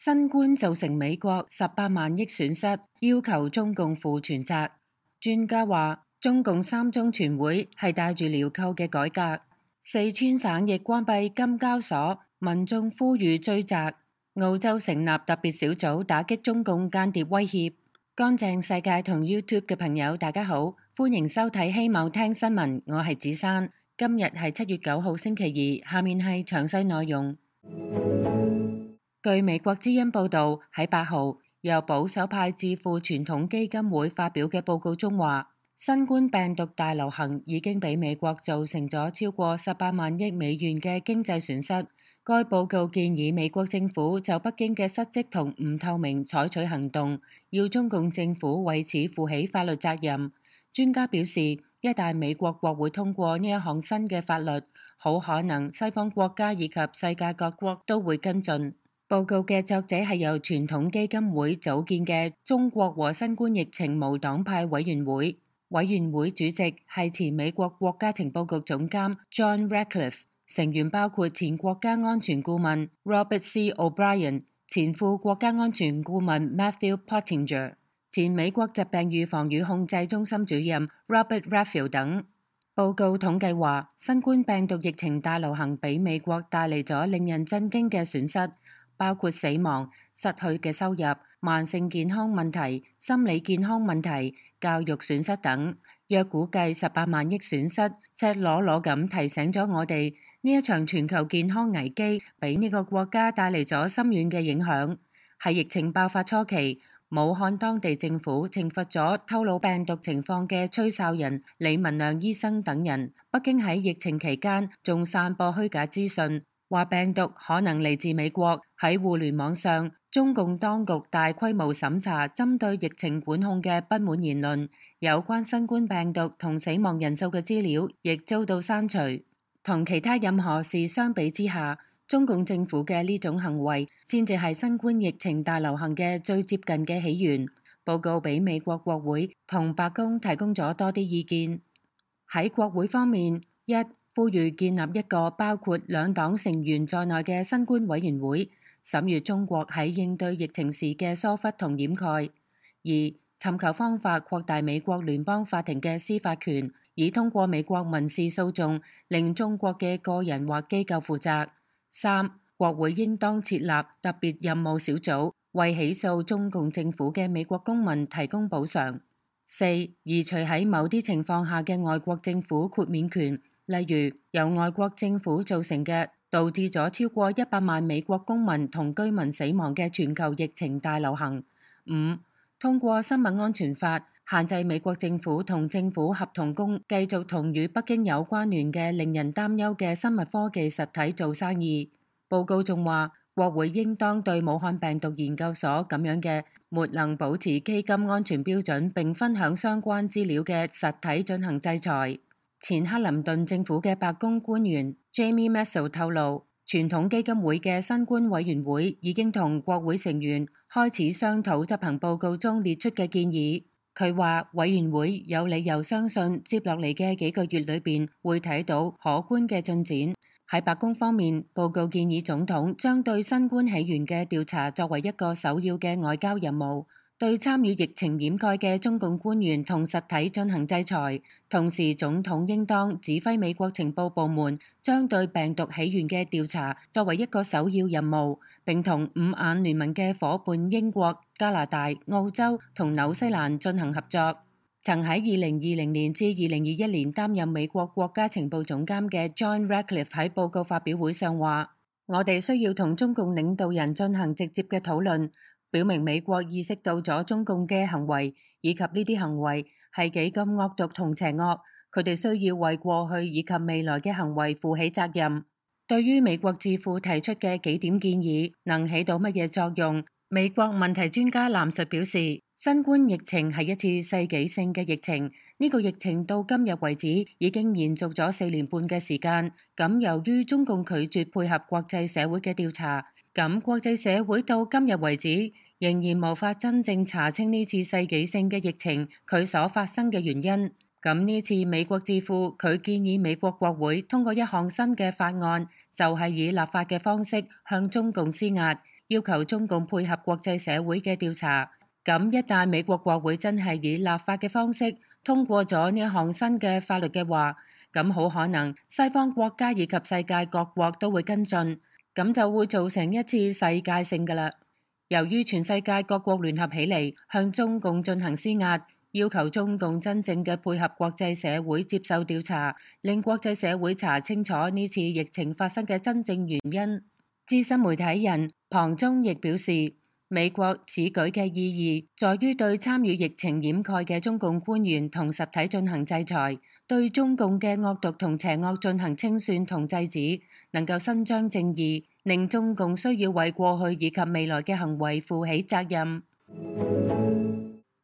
新冠造成美國18萬億損失，要求中共負全責。專家話，中共三中全會係帶住鐐銬嘅改革。四川省亦關閉金交所，民眾呼籲追責。澳洲成立特別小組打擊中共間諜威脅。乾淨世界同 YouTube 嘅朋友，大家好，歡迎收睇希望聽新聞，我係子珊。今日係7月9號星期二，下面係詳細內容。據美國之音報道，喺8號由保守派智庫傳統基金會發表嘅報告中話，新冠病毒大流行已經俾美國造成咗超過18萬億美元嘅經濟損失。該報告建議美國政府就北京嘅失職同唔透明採取行動，要中共政府為此負起法律責任。專家表示，一旦美國國會通過呢一項新嘅法律，好可能西方國家以及世界各國都會跟進。報告嘅作者係由傳統基金會組建嘅中國和新冠疫情無黨派委員會，委員會主席係前美國國家情報局總監 John Ratcliffe， 成員包括前國家安全顧問 Robert C. O'Brien、前副國家安全顧問 Matthew Pottinger、前美國疾病預防與控制中心主任 Robert Redfield 等。報告統計話，新冠病毒疫情大流行俾美國帶嚟咗令人震驚嘅損失，包括死亡、失去嘅收入、慢性健康問題、心理健康問題、教育損失等。約估計18萬億損失，赤裸裸咁提醒咗我哋，呢一場全球健康危機俾呢個國家帶嚟咗深遠嘅影響。喺疫情爆發初期，武漢當地政府懲罰咗透露病毒情況嘅吹哨人李文亮醫生等人。北京喺疫情期間仲散播虛假資訊，話病毒可能嚟自美國。喺互聯網上，中共當局大規模審查針對疫情管控嘅不滿言論，有關新冠病毒同死亡人數嘅資料亦遭到刪除。同其他任何事相比之下，中共政府嘅呢種行為先至係新冠疫情大流行嘅最接近嘅起源。報告俾美國國會同白宮提供咗多啲意見。喺國會方面，一、呼籲建立一個包括兩黨成員在內嘅新冠委員會，審閱中國喺應對疫情時嘅疏忽同掩蓋；二、尋求方法擴大美國聯邦法庭嘅司法權，以通過美國民事訴訟令中國嘅個人或機構負責；三、國會應當設立特別任務小組，為起訴中共政府嘅美國公民提供補償；四、移除喺某啲情況下嘅外國政府豁免權，例如由外國政府造成嘅導致咗超過100萬美國公民同居民死亡嘅全球疫情大流行。五、通過生物安全法限制美國政府同政府合同工繼續同與北京有關聯嘅令人擔憂嘅生物科技實體做生意。報告仲話，國會應當對武漢病毒研究所咁樣嘅沒能保持基金安全標準並分享相關資料嘅實體進行制裁。前克林頓政府嘅白宮官員 Jamie Massow 透露，傳統基金會嘅新冠委員會已經同國會成員開始商討執行報告中列出嘅建議。佢話委員會有理由相信接落嚟嘅幾個月裏邊會睇到可觀嘅進展。喺白宮方面，報告建議總統將對新冠起源嘅調查作為一個首要嘅外交任務，對參與疫情掩蓋嘅中共官員同實體進行制裁。同時，總統應當指揮美國情報部門將對病毒起源嘅調查作為一個首要任務，並同五眼聯盟嘅夥伴英國、加拿大、澳洲同紐西蘭進行合作。曾喺2020年至2021年擔任美國國家情報總監嘅 John Ratcliffe 喺報告發表會上話，我哋需要同中共領導人進行直接嘅討論，表明美國意識到咗中共嘅行為，以及呢啲行為係幾咁惡毒同邪惡，佢哋需要為過去以及未來嘅行為負起責任。對於美國智庫提出嘅幾點建議能起到乜嘢作用，美國問題專家藍述表示，新冠疫情係一次世紀性嘅疫情，呢個疫情到今日為止已經延續咗4年半嘅時間。咁由於中共拒絕配合國際社會嘅調查，咁國際社會到今日為止仍然無法真正查清呢次世紀性嘅疫情佢所發生嘅原因。咁呢次美國智庫佢建議美國國會通過一項新嘅法案，就係以立法嘅方式向中共施壓，要求中共配合國際社會嘅調查。咁一旦美國國會真係以立法嘅方式通過咗呢一項新嘅法律嘅話，咁好可能西方國家以及世界各國都會跟進，咁就會造成一次世界性㗎啦。由於全世界各國聯合起嚟向中共進行施壓，要求中共真正嘅配合國際社會接受調查，令國際社會查清楚呢次疫情發生嘅真正原因。資深媒體人龐中亦表示，美國此舉嘅意義在於對參與疫情掩蓋嘅中共官員同實體進行制裁，對中共嘅惡毒同邪惡進行清算同制止，能夠伸張正義，令中共需要為過去以及未來嘅行為負起責任。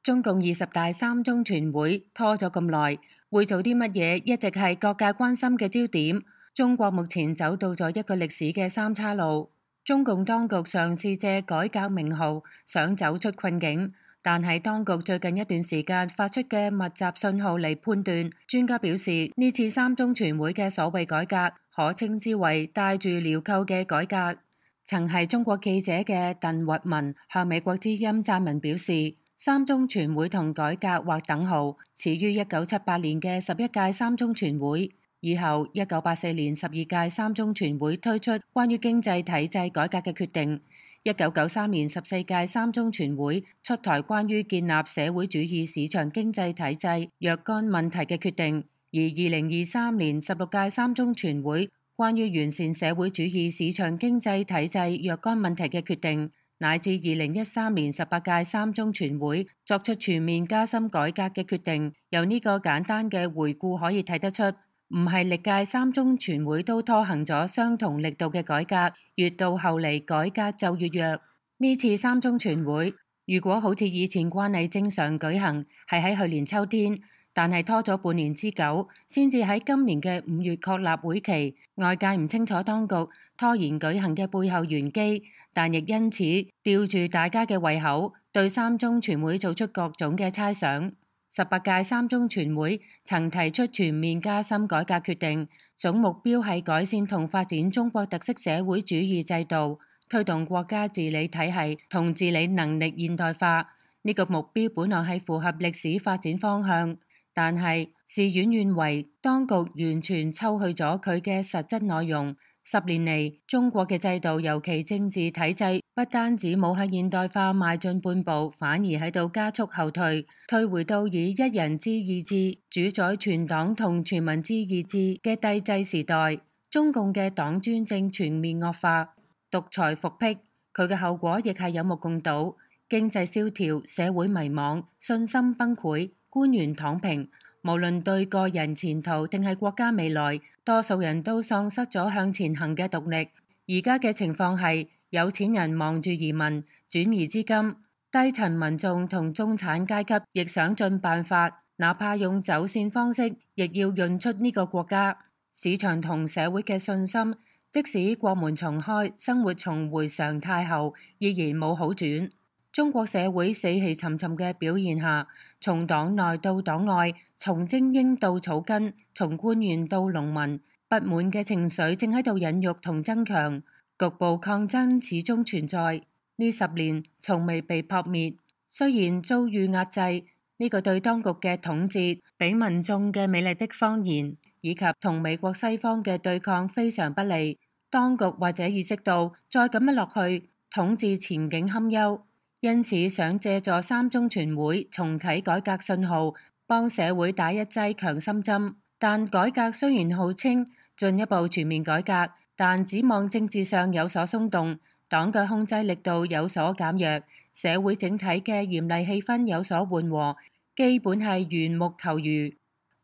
中共20大3中全會拖咗咁耐，會做啲乜嘢一直係各界關心嘅焦點。中國目前走到咗一個歷史嘅三岔路。中共當局嘗試借改革名號想走出困境，但係當局最近一段時間發出嘅密集信號嚟判斷，專家表示呢次3中全會嘅所謂改革可稱之為帶住鐐銬嘅改革。曾係中國記者嘅鄧聿文向美國之音撰文表示，3中全會同改革劃等號，始於1978年嘅11屆3中全會。以後1984年12屆3中全會推出關於經濟體制改革嘅決定，1993年14屆3中全會出台關於建立社會主義市場經濟體制若干問題嘅決定，而2023年16屆3中全會關於完善社會主義市場經濟體制若干問題嘅決定，乃至2013年18屆3中全會作出全面加深改革嘅決定，由呢個簡單嘅回顧可以睇得出，唔係歷屆3中全會都拖行咗相同力度嘅改革，越到後嚟改革就越弱。呢次3中全會如果好似以前慣例正常舉行，係喺去年秋天，但係拖咗半年之久，先至喺今年嘅5月確立會期。外界唔清楚當局拖延舉行嘅背後玄機，但亦因此吊住大家嘅胃口，對3中全會做出各種嘅猜想。18屆3中全會曾提出全面加深改革決定，總目標係改善同發展中國特色社會主義制度，推動國家治理體系同治理能力現代化。呢個目標本來係符合歷史發展方向，但係事與願違，當局完全抽去咗佢嘅實質內容。10年嚟，中國嘅制度，尤其政治體制，不單止冇喺現代化邁進半步，反而喺度加速後退，退回到以一人之意志主宰全黨同全民之意志嘅帝制時代。中共嘅黨專政全面惡化，獨裁復辟，佢嘅後果亦係有目共睹：經濟蕭條、社會迷茫、信心崩潰、官員躺平。無論對個人前途定係國家未來，多數人都喪失咗向前行嘅動力。而家嘅情況係，有錢人忙住移民轉移資金，低層民眾同中產階級亦想盡辦法，哪怕用走線方式，亦要潤出呢個國家。市場同社會嘅信心，即使國門重開，生活重回常態後，依然冇好轉。中國社會死氣沉沉嘅表現下，從黨內到黨外，從精英到草根，從官員到農民，不滿嘅情緒正喺度孕育同增強，局部抗爭始終存在。呢10年從未被撲滅，雖然遭遇壓制，呢個對當局嘅統治，俾民眾嘅美麗的謊言，以及同美國西方嘅對抗非常不利。當局或者意識到再咁樣落去，統治前景堪憂。因此想借助3中全會重啟改革信號，幫社會打一劑強心針。但改革雖然號稱進一步全面改革，但指望政治上有所鬆動，黨嘅控制力度有所減弱，社會整體嘅嚴厲氣氛有所緩和，基本係緣木求魚。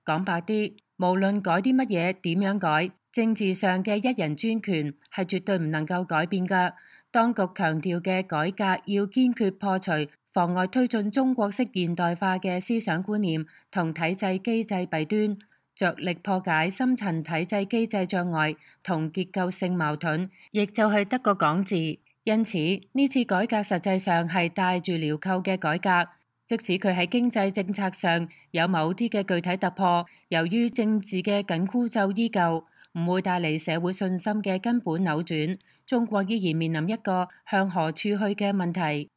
講白啲，無論改啲乜嘢，點樣改，政治上嘅一人專權係絕對唔能夠改變㗎。當局強調嘅改革要堅決破除妨礙推進中國式現代化嘅思想觀念同體制機制弊端，着力破解深層體制機制障礙同結構性矛盾，亦就係得個講字。因此呢次改革實際上係帶住鐐銬嘅改革，即使佢喺經濟政策上有某啲嘅具體突破，由於政治嘅緊箍咒依舊，唔會帶嚟社會信心嘅根本扭轉，中國依然面臨一個向何處去嘅問題。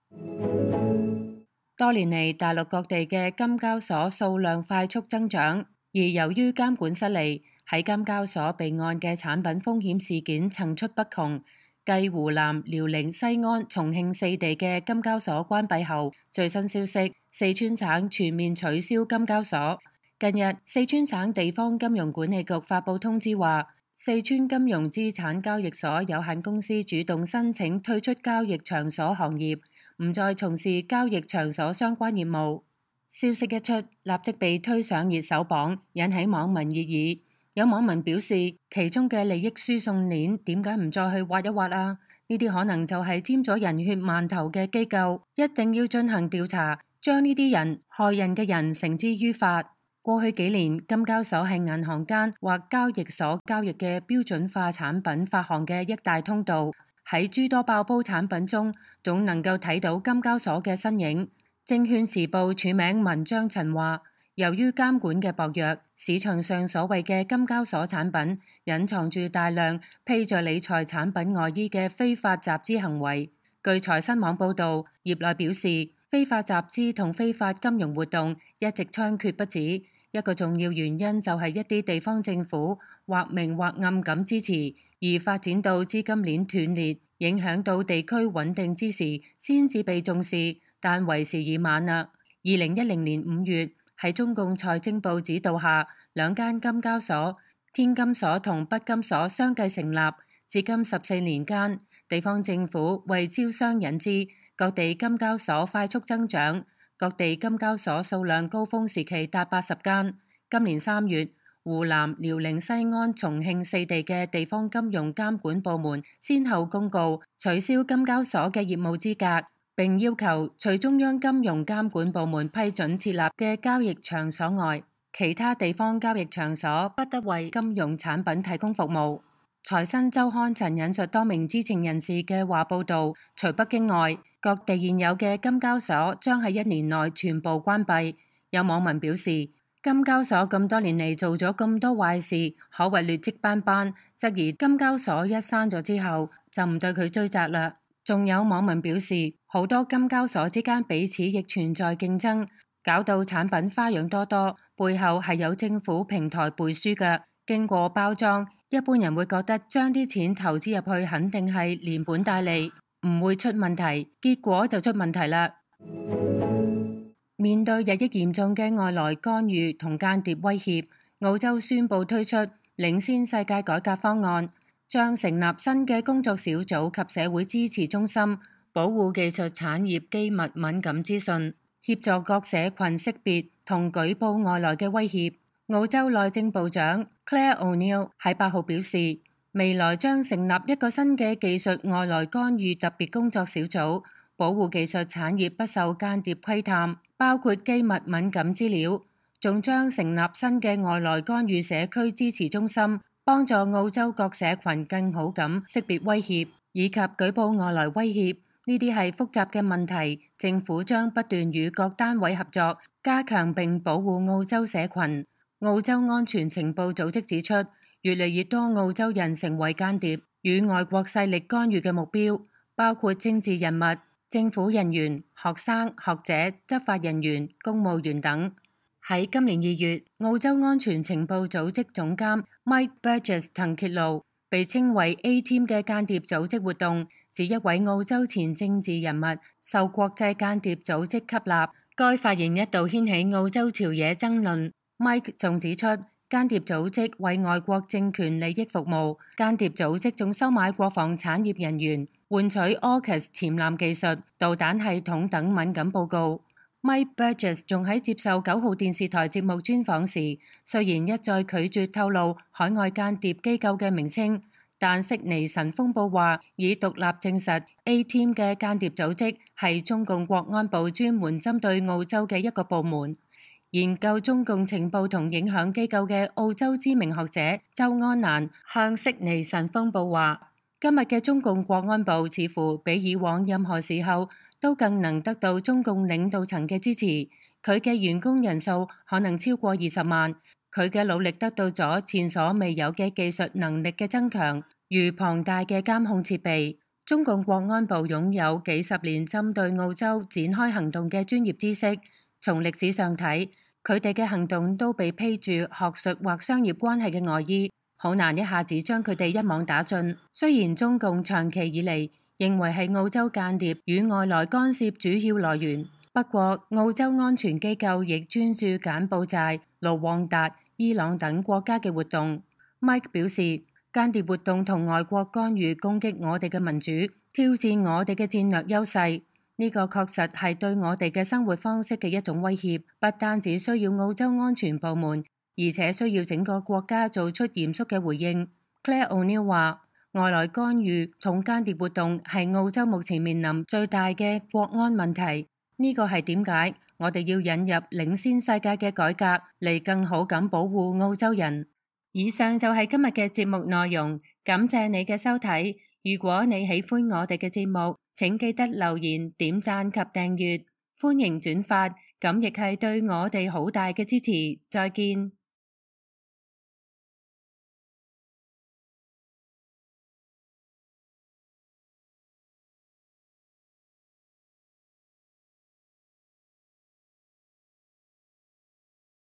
多年嚟，大陸各地嘅金交所數量快速增長，而由於監管失利，喺金交所備案嘅產品風險事件層出不窮。繼湖南、遼寧、西安、重慶四地嘅金交所關閉後，最新消息，四川省全面取消金交所。近日，四川省地方金融管理局發布通知話，四川金融資產交易所有限公司主動申請退出交易場所行業，唔再從事交易場所相關業務。消息一出，立即被推上熱搜榜，引起網民熱議。有網民表示，其中嘅利益輸送鏈點解唔再去挖一挖啊？呢啲可能就係沾咗人血饅頭嘅機構，一定要進行調查，將呢啲人害人嘅人繩之於法。過去幾年，金交所係銀行間或交易所交易嘅標準化產品發行嘅一大通道。喺諸多爆煲產品中，總能夠睇到金交所嘅身影。證券時報署名文章曾話，由於監管嘅薄弱，市場上所謂嘅金交所產品隱藏住大量披着理財產品外衣嘅非法集資行為。據財新網報導，業內表示，非法集資同非法金融活動一直猖獗不止。一個重要原因就係一啲地方政府或明或暗咁支持，而發展到資金鏈斷裂，影響到地區穩定之時，先至被重視，但為時已晚啦。2010年5月，喺中共財政部指導下，兩間金交所天金所同北金所相繼成立，至今14年間，地方政府為招商引資，各地金交所快速增長。各地金交所數量高峰時期達80間。今年3月，湖南、遼寧、西安、重慶四地嘅地方金融監管部門先後公告取消金交所嘅業務資格，並要求除中央金融監管部門批准設立嘅交易場所外，其他地方交易場所不得為金融產品提供服務。財新周刊曾引述多名知情人士嘅話報道，除北京外，各地現有嘅金交所將喺1年內全部關閉。有網民表示，金交所咁多年嚟做咗咁多壞事，可謂劣跡斑斑，質疑金交所一閂咗之後就唔對佢追責啦。仲有網民表示，好多金交所之間彼此亦存在競爭，搞到產品花樣多多，背後係有政府平台背書嘅，經過包裝。一般人會覺得將啲錢投資入去肯定係連本帶利，唔會出問題，結果就出問題啦。面對日益嚴重嘅外來干預同間諜威脅，澳洲宣布推出領先世界改革方案，將成立新嘅工作小組及社會支持中心，保護技術產業機密敏感資訊，協助各社群識別同舉報外來嘅威脅。澳洲內政部長 Claire O'Neil 喺8號表示，未來將成立一個新嘅技術外來干預特別工作小組，保護技術產業不受間諜窺探，包括機密敏感資料。仲將成立新嘅外來干預社區支持中心，幫助澳洲各社群更好咁識別威脅，以及舉報外來威脅。呢啲係複雜嘅問題，政府將不斷與各單位合作，加強並保護澳洲社群。澳洲安全情報組織指出，越嚟越多澳洲人成為間諜，與外國勢力干預嘅目標，包括政治人物、政府人員、學生、學者、執法人員、公務員等。喺今年2月，澳洲安全情報組織總監 Mike Burgess 曾揭露，被稱為 A-Team 嘅間諜組織活動，指一位澳洲前政治人物受國際間諜組織吸納。該發言一度掀起澳洲朝野爭論。Mike 仲指出，間諜組織為外國政權利益服務，間諜組織仲收買國防產業人員，換取 AUKUS 潛艦技術、導彈系統等敏感報告。Mike Burgess 仲喺接受9號電視台節目專訪時，雖然一再拒絕透露海外間諜機構嘅名稱，但悉尼晨鋒報話已獨立證實 A-Team 嘅間諜組織係中共國安部專門針對澳洲嘅一個部門。研究中共情報同影響機構嘅澳洲知名學者周安蘭向悉尼晨鋒報話，今日嘅中共國安部似乎比以往任何時候都更能得到中共領導層嘅支持，佢嘅員工人數可能超過20萬，佢嘅努力得到咗前所未有嘅技術能力嘅增強，如龐大嘅監控設備。中共國安部擁有幾十年針對澳洲展開行動嘅專業知識。從歷史上睇，佢哋嘅行動都被披住學術或商業關係嘅外衣，好難一下子將佢哋一網打盡。雖然中共長期以嚟認為係澳洲間諜與外來干涉主要來源，不過澳洲安全機構亦專注柬埔寨、盧旺達、伊朗等國家嘅活動。Mike 表示，間諜活動同外國干預攻擊我哋嘅民主，挑戰我哋嘅戰略優勢。呢個確實係對我哋嘅生活方式嘅一種威脅，不單只需要澳洲安全部門，而且需要整個國家做出嚴肅嘅回應。Claire O'Neill 話，外來干預同間諜活動係澳洲目前面臨最大嘅國安問題。呢個係點解我哋要引入領先世界嘅改革嚟更好咁保護澳洲人。以上就係今日嘅節目內容，感謝你嘅收睇。如果你喜歡我哋嘅節目，請記得留言、點讚及訂閱，歡迎轉發，咁亦係對我哋好大嘅支持。再見。